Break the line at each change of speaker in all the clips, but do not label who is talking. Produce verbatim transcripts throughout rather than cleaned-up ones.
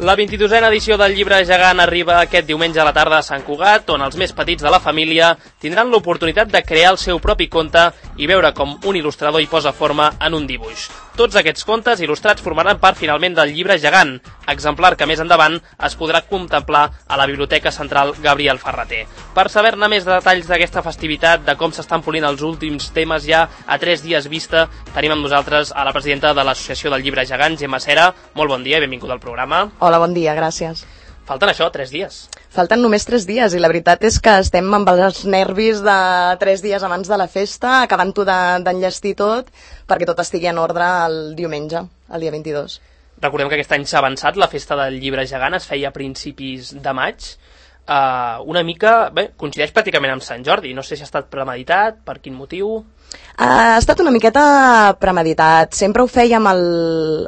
La vint-i-dosena edició del Llibre Gegant arriba aquest diumenge a la tarda a Sant Cugat, on els més petits de la família tindran l'oportunitat de crear el seu propi conte i veure com un il·lustrador hi posa forma en un dibuix. Tots aquests contes il·lustrats formaran part finalment del Llibre Gegant, exemplar que més endavant es podrà contemplar a la Biblioteca Central Gabriel Ferrater. Per saber-ne més detalls d'aquesta festivitat, de com s'estan polint els últims temes ja a tres dies vista, tenim amb nosaltres a la presidenta de l'Associació del Llibre Gegant, Gemma Cera. Molt bon dia i benvinguda al programa.
Hola, bon dia, gràcies.
Falten això, tres dies.
Falten només tres dies i la veritat és que estem amb els nervis de tres dies abans de la festa, acabant-ho d'enllestir tot perquè tot estigui en ordre el diumenge, el dia vint-i-dos.
Recordem que aquest any s'ha avançat, la festa del Llibre Gegant es feia a principis de maig. Uh, una mica, bé, coincideix pràcticament amb Sant Jordi, no sé si ha estat premeditat, per quin motiu...
Ha estat una miqueta premeditat. Sempre ho fèiem al,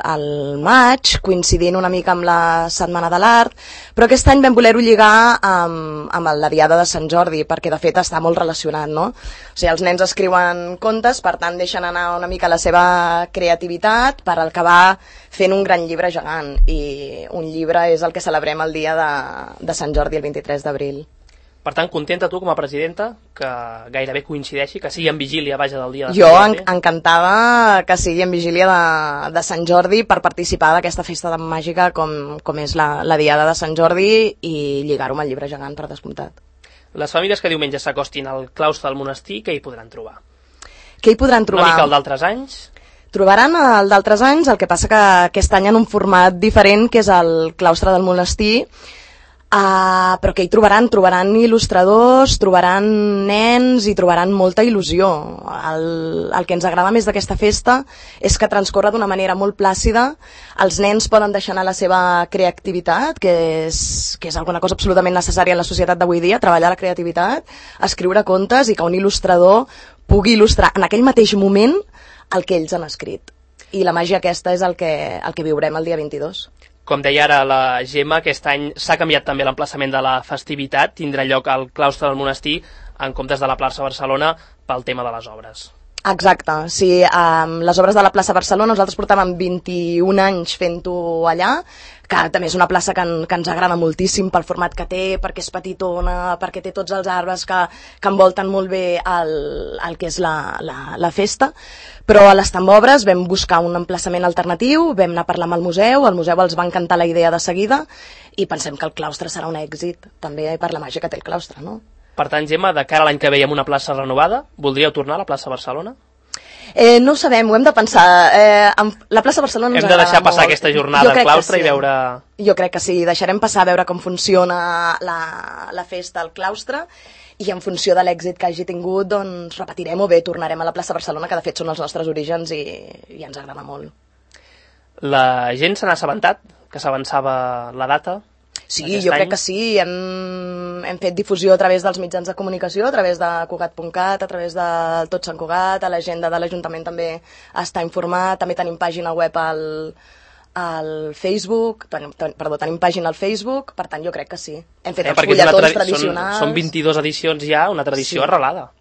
al maig, coincidint una mica amb la Setmana de l'Art, però aquest any vam voler-ho lligar amb, amb la Diada de Sant Jordi, perquè de fet està molt relacionat, no? O sigui, els nens escriuen contes, per tant deixen anar una mica la seva creativitat per acabar fent un gran llibre gegant, i un llibre és el que celebrem el dia de, de Sant Jordi, el vint-i-tres d'abril.
Per tant, contenta tu com a presidenta que gairebé coincideixi, que sigui en vigília, vaja, del dia de Sant
Jo
Jordi?
Jo encantada que sigui en vigília de, de Sant Jordi per participar d'aquesta festa de màgica com, com és la, la Diada de Sant Jordi i lligar-ho amb el Llibre Gegant, per descomptat.
Les famílies que diumenge s'acostin al claustre del monestir, què hi podran trobar?
Què hi podran trobar?
Una mica el d'altres anys?
Trobaran el d'altres anys, el que passa que aquest any en un format diferent, que és el claustre del monestir. Uh, però que hi trobaran? Trobaran il·lustradors, trobaran nens i trobaran molta il·lusió. El, el que ens agrada més d'aquesta festa és que transcorre d'una manera molt plàcida. Els nens poden deixar anar la seva creativitat, que és, que és alguna cosa absolutament necessària en la societat d'avui dia, treballar la creativitat, escriure contes i que un il·lustrador pugui il·lustrar en aquell mateix moment el que ells han escrit. I la màgia aquesta és el que, el que viurem el dia vint-i-dos.
Com deia ara la Gemma, aquest any s'ha canviat també l'emplaçament de la festivitat, tindrà lloc al claustre del monestir en comptes de la plaça Barcelona pel tema de les obres.
Exacte, sí, um, les obres de la plaça Barcelona nosaltres portàvem vint-i-un anys fent-ho allà, que també és una plaça que, en, que ens agrada moltíssim pel format que té, perquè és petitona, perquè té tots els arbres que, que envolten molt bé el, el que és la, la, la festa, però a les Tambobres vam buscar un emplaçament alternatiu, vam anar a parlar amb el museu, el museu els va encantar la idea de seguida i pensem que el claustre serà un èxit, també per la màgia que té el claustre, no?
Per tant, Gemma, de cara a l'any que veiem una plaça renovada, voldríeu tornar a la plaça Barcelona?
Eh, no ho sabem, ho hem de pensar. Eh, amb la plaça Barcelona ens
agrada molt. Hem de deixar passar
molt.
aquesta jornada al claustre
sí.
i veure...
Jo crec que sí, deixarem passar a veure com funciona la, la festa al claustre i en funció de l'èxit que hagi tingut, doncs repetirem o bé tornarem a la plaça Barcelona, que de fet són els nostres orígens i, i ens agrada molt.
La gent se n'ha assabentat que s'avançava la data?
Sí, jo any. crec que sí. Hem, hem fet difusió a través dels mitjans de comunicació, a través de Cugat punt cat, a través de Tot Sant Cugat, a l'agenda de l'Ajuntament també està informat, també tenim pàgina web al, al Facebook, ten, ten, perdó, tenim pàgina al Facebook, per tant jo crec que sí. Hem fet eh, els fulletons tradicionals.
Són, són vint-i-dues edicions ja, una tradició sí. arrelada.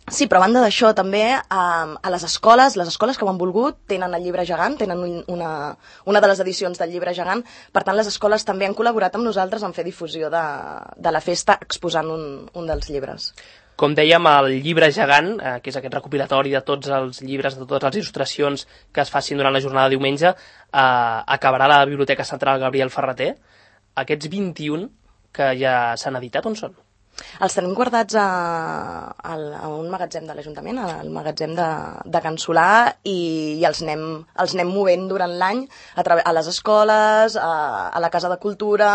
Sí, però a banda d'això també a, a les escoles, les escoles que ho han volgut tenen el Llibre Gegant, tenen una, una de les edicions del Llibre Gegant, per tant les escoles també han col·laborat amb nosaltres en fer difusió de, de la festa exposant un, un dels llibres.
Com dèiem, el Llibre Gegant, eh, que és aquest recopilatori de tots els llibres, de totes les il·lustracions que es facin durant la jornada de diumenge, eh, acabarà a la Biblioteca Central Gabriel Ferrater. Aquests vint-i-un que ja s'han editat, on són?
Els tenim guardats a, a, a un magatzem de l'Ajuntament, al magatzem de, de Can Solà, i, i els, anem, els anem movent durant l'any a, a les escoles, a, a la Casa de Cultura,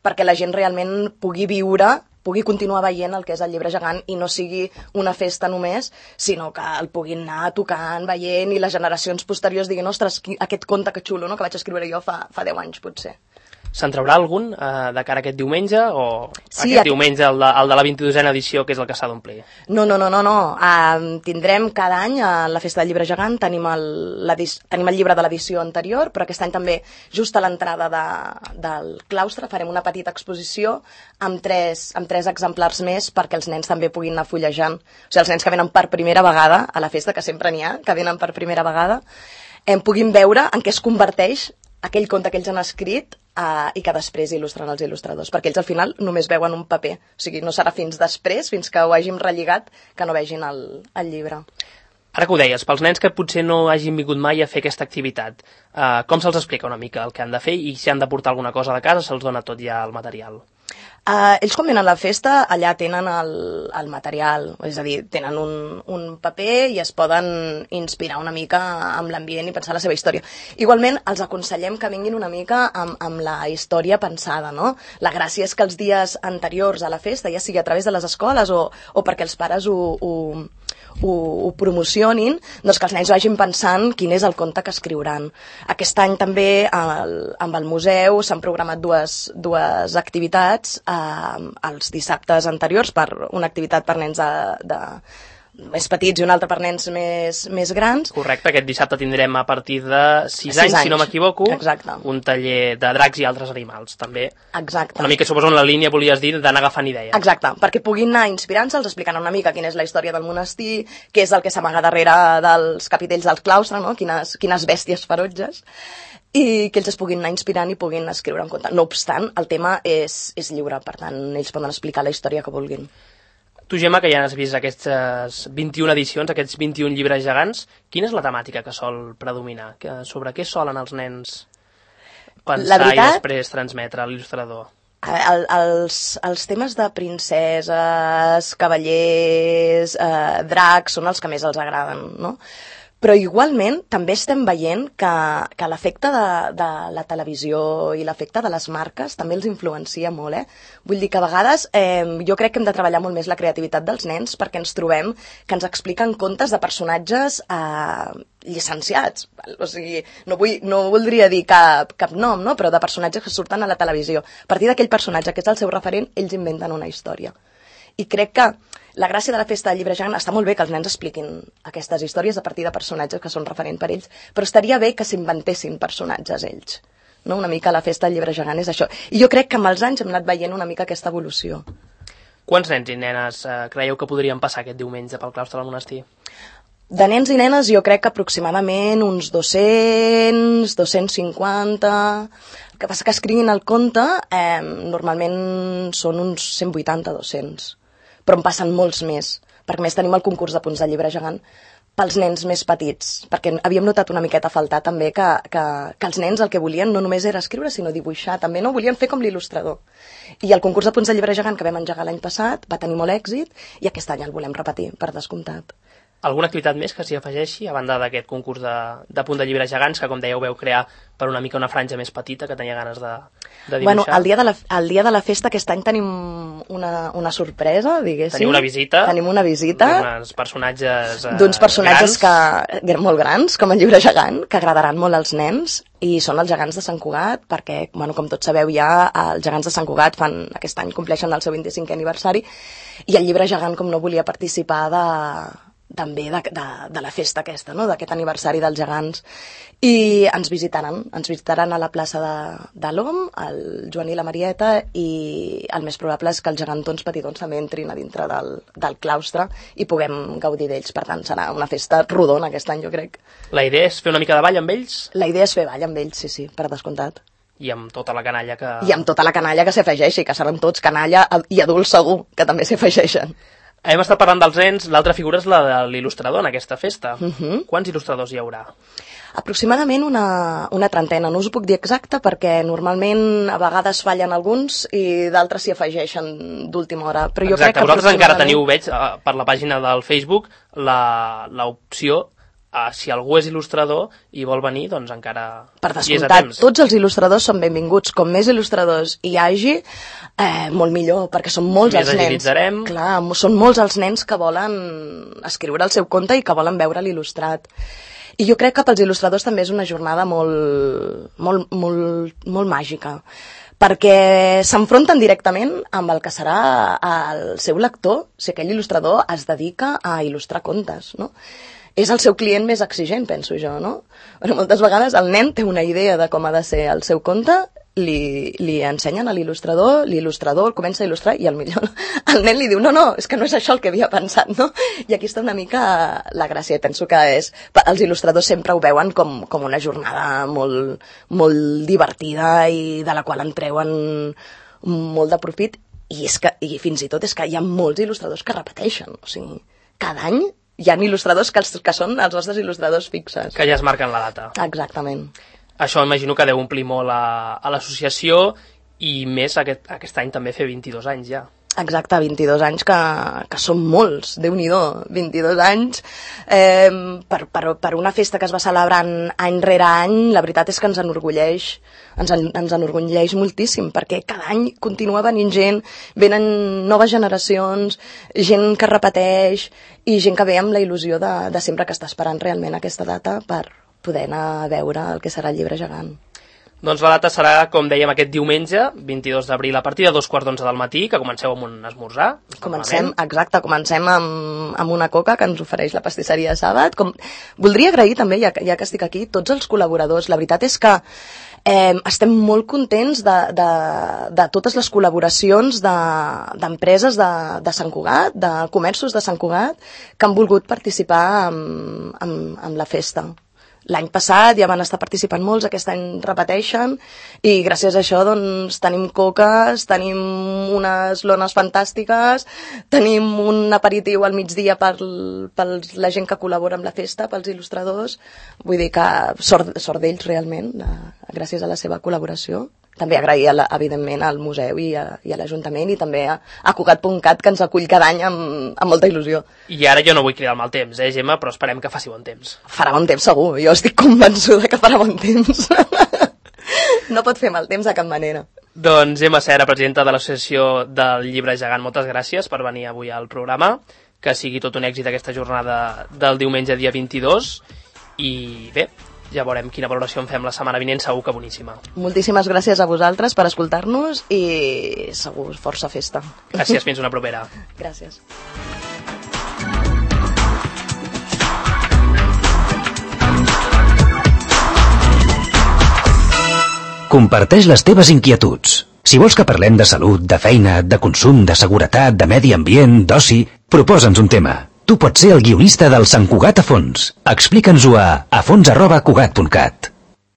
perquè la gent realment pugui viure, pugui continuar veient el que és el Llibre Gegant i no sigui una festa només, sinó que el puguin anar tocant, veient, i les generacions posteriors diguin, ostres, aquest conte que xulo, no?, que vaig escriure jo fa, fa deu anys, potser.
Se'n traurà algun eh, de cara a aquest diumenge o
sí,
aquest diumenge, el de, el de la vint-i-dosena edició, que és el que s'ha d'omplir?
No, no, no, no, no. Uh, tindrem cada any a la Festa del Llibre Gegant, tenim el, tenim el llibre de l'edició anterior, però aquest any també, just a l'entrada de, del claustre, farem una petita exposició amb tres, amb tres exemplars més perquè els nens també puguin anar fullejant. O sigui, els nens que venen per primera vegada a la festa, que sempre n'hi ha, que venen per primera vegada, em puguin veure en què es converteix aquell conte que ells han escrit uh, i que després il·lustren els il·lustradors, perquè ells al final només veuen un paper, o sigui, no serà fins després, fins que ho hàgim relligat, que no vegin el, el llibre.
Ara que ho deies, pels nens que potser no hagin vingut mai a fer aquesta activitat, uh, com se'ls explica una mica el que han de fer i si han de portar alguna cosa de casa, se'ls dona tot ja el material?
Uh, ells quan venen a la festa allà tenen el, el material, és a dir, tenen un, un paper i es poden inspirar una mica amb l'ambient i pensar la seva història. Igualment, els aconsellem que vinguin una mica amb, amb la història pensada, no? La gràcia és que els dies anteriors a la festa, ja sigui a través de les escoles o, o perquè els pares ho, ho, ho, ho promocionin, doncs que els nens vagin pensant quin és el conte que escriuran. Aquest any també el, amb el museu s'han programat dues, dues activitats eh, els dissabtes anteriors, per una activitat per nens de, de més petits i una altra per nens més, més grans.
Correcte, aquest dissabte tindrem a partir de sis anys, anys, si no m'equivoco, un taller de dracs i altres animals, també.
Exacte.
Una mica, suposo, en la línia, volies dir, d'anar agafant idees.
Exacte, perquè puguin anar inspirant-se, els explicant una mica quina és la història del monestir, què és el que s'amaga darrere dels capitells del claustre, no? quines, quines bèsties ferotges, i que ells es puguin anar inspirant i puguin escriure un conte. No obstant, el tema és, és lliure, per tant, ells poden explicar la història que vulguin.
Tu, Gemma, que ja has vist aquestes vint-i-una edicions, aquests vint-i-un llibres gegants, quina és la temàtica que sol predominar? Sobre què solen els nens pensar veritat, i després transmetre a l'il·lustrador?
El, els, els temes de princeses, cavallers, eh, dracs, són els que més els agraden, no? Però igualment també estem veient que, que l'efecte de, de la televisió i l'efecte de les marques també els influencia molt, eh? Vull dir que a vegades eh, jo crec que hem de treballar molt més la creativitat dels nens perquè ens trobem que ens expliquen contes de personatges eh, llicenciats. O sigui, no, vull, no voldria dir cap, cap nom, no? Però de personatges que surten a la televisió. A partir d'aquell personatge que és el seu referent, ells inventen una història. I crec que la gràcia de la festa del llibre gegant està molt bé que els nens expliquin aquestes històries a partir de personatges que són referent per ells, però estaria bé que s'inventessin personatges ells. No? Una mica la festa del llibre gegant és això. I jo crec que amb els anys hem anat veient una mica aquesta evolució.
Quants nens i nenes eh, creieu que podrien passar aquest diumenge pel claustre del monestir?
De nens i nenes jo crec que aproximadament uns dos-cents, dos-cents cinquanta... El que passa que escriguin el conte eh, normalment són uns cent vuitanta a dos-cents. Però en passen molts més, perquè més tenim el concurs de punts de llibre gegant pels nens més petits, perquè havíem notat una miqueta a faltar també que, que, que els nens el que volien no només era escriure, sinó dibuixar, també no volien fer com l'il·lustrador. I el concurs de punts de llibre gegant que vam engegar l'any passat va tenir molt èxit i aquest any el volem repetir, per descomptat.
Alguna activitat més que s'hi afegeixi, a banda d'aquest concurs de, de punt de llibre gegants, que com dèieu veu crear per una mica una franja més petita, que tenia ganes de, de dibuixar?
Bueno, el dia de, la, el dia de la festa aquest any tenim una, una sorpresa, diguéssim.
Tenim una visita.
Tenim una visita.
D'uns personatges eh,
D'uns personatges
grans.
Que, molt grans, com el llibre gegant, que agradaran molt als nens, i són els gegants de Sant Cugat, perquè, bueno, com tots sabeu ja, els gegants de Sant Cugat fan, aquest any compleixen el seu vint-i-cinquè aniversari, i el llibre gegant, com no volia participar de... també de, de, de la festa aquesta, no? D'aquest aniversari dels gegants, i ens visitaran, ens visitaran a la plaça de, de l'Om, el Joan i la Marieta, i el més probable és que els gegantons petitons també entrin a dintre del, del claustre i puguem gaudir d'ells. Per tant, serà una festa rodona aquest any, jo crec.
La idea és fer una mica de ball amb ells?
La idea és fer ball amb ells, sí, sí, per descomptat.
I amb tota la canalla que...
I amb tota la canalla que s'afegeixi, que seran tots canalla i adults segur, que també s'afegeixen.
Hem estat parlant dels nens, l'altra figura és la de l'il·lustrador en aquesta festa.
Uh -huh.
Quants il·lustradors hi haurà?
Aproximadament una, una trentena, no us ho puc dir exacte perquè normalment a vegades fallen alguns i d'altres s'hi afegeixen d'última hora. Però jo
Exacte,
crec que
vosaltres encara
aproximadament...
teniu, veig, per la pàgina del Facebook, l'opció, uh, si algú és il·lustrador i vol venir, doncs encara
per
hi és a
descomptat,
temps.
tots els il·lustradors són benvinguts. Com més il·lustradors hi hagi, eh, molt millor, perquè són molts
Més
els nens.
agilitzarem.
Clar, són molts els nens que volen escriure el seu conte i que volen veure l'il·lustrat. I jo crec que pels il·lustradors també és una jornada molt, molt, molt, molt màgica, perquè s'enfronten directament amb el que serà el seu lector, si aquell il·lustrador es dedica a il·lustrar contes, no? És el seu client més exigent, penso jo, no? Però moltes vegades el nen té una idea de com ha de ser el seu conte li, li ensenyen a l'il·lustrador, l'il·lustrador el comença a il·lustrar i el millor, el nen li diu, no, no, és que no és això el que havia pensat, no? I aquí està una mica la gràcia, penso que és, els il·lustradors sempre ho veuen com, com una jornada molt, molt divertida i de la qual en treuen molt de profit, i, és que, i fins i tot és que hi ha molts il·lustradors que repeteixen, o sigui, cada any hi ha il·lustradors que, els, que són els nostres il·lustradors fixes.
Que ja es marquen la data.
Exactament.
Això imagino que deu omplir molt a, a l'associació i més aquest, aquest any també fer vint-i-dos anys ja.
Exacte, vint-i-dos anys que, que són molts, Déu-n'hi-do, vint-i-dos anys. Eh, per, per, per una festa que es va celebrant any rere any, la veritat és que ens enorgulleix, ens, ens enorgulleix moltíssim, perquè cada any continua venint gent, venen noves generacions, gent que repeteix i gent que ve amb la il·lusió de, de sempre que està esperant realment aquesta data per poder anar a veure el que serà el Llibre Gegant.
Doncs la data serà, com dèiem, aquest diumenge, vint-i-dos d'abril, a partir de dos quarts d'onze del matí, que comenceu amb un esmorzar.
Comencem, exacte, comencem amb, amb una coca que ens ofereix la pastisseria Sàbat. Com... Voldria agrair també, ja, ja que estic aquí, tots els col·laboradors. La veritat és que eh, estem molt contents de, de, de totes les col·laboracions d'empreses de, de, de Sant Cugat, de comerços de Sant Cugat, que han volgut participar amb, amb, amb la festa. L'any passat ja van estar participant molts, aquest any repeteixen i gràcies a això doncs, tenim coques, tenim unes lones fantàstiques, tenim un aperitiu al migdia per, per la gent que col·labora amb la festa, pels il·lustradors. Vull dir que sort, sort d'ells realment, de, gràcies a la seva col·laboració. També agrair, a la, evidentment, al museu i a, i a l'Ajuntament i també a, a Cugat punt cat, que ens acull cada any amb, amb molta il·lusió.
I ara jo no vull cridar el mal temps, eh, Gemma, però esperem que faci bon temps.
Farà bon temps segur, jo estic convençuda que farà bon temps. No pot fer mal temps de cap manera.
Doncs Gemma Cera, presidenta de l'Associació del Llibre Gegant, moltes gràcies per venir avui al programa, que sigui tot un èxit aquesta jornada del diumenge dia vint-i-dos i bé, ja veurem quina valoració en fem la setmana vinent, segur que boníssima.
Moltíssimes gràcies a vosaltres per escoltar-nos i segur força festa.
Gràcies, fins una propera.
Gràcies.
Comparteix les teves inquietuds. Si vols que parlem de salut, de feina, de consum, de seguretat, de medi ambient, d'oci, proposa'ns un tema. Tu pots ser el guionista del Sant Cugat a fons. Explica'ns-ho a afons arroba cugat punt cat.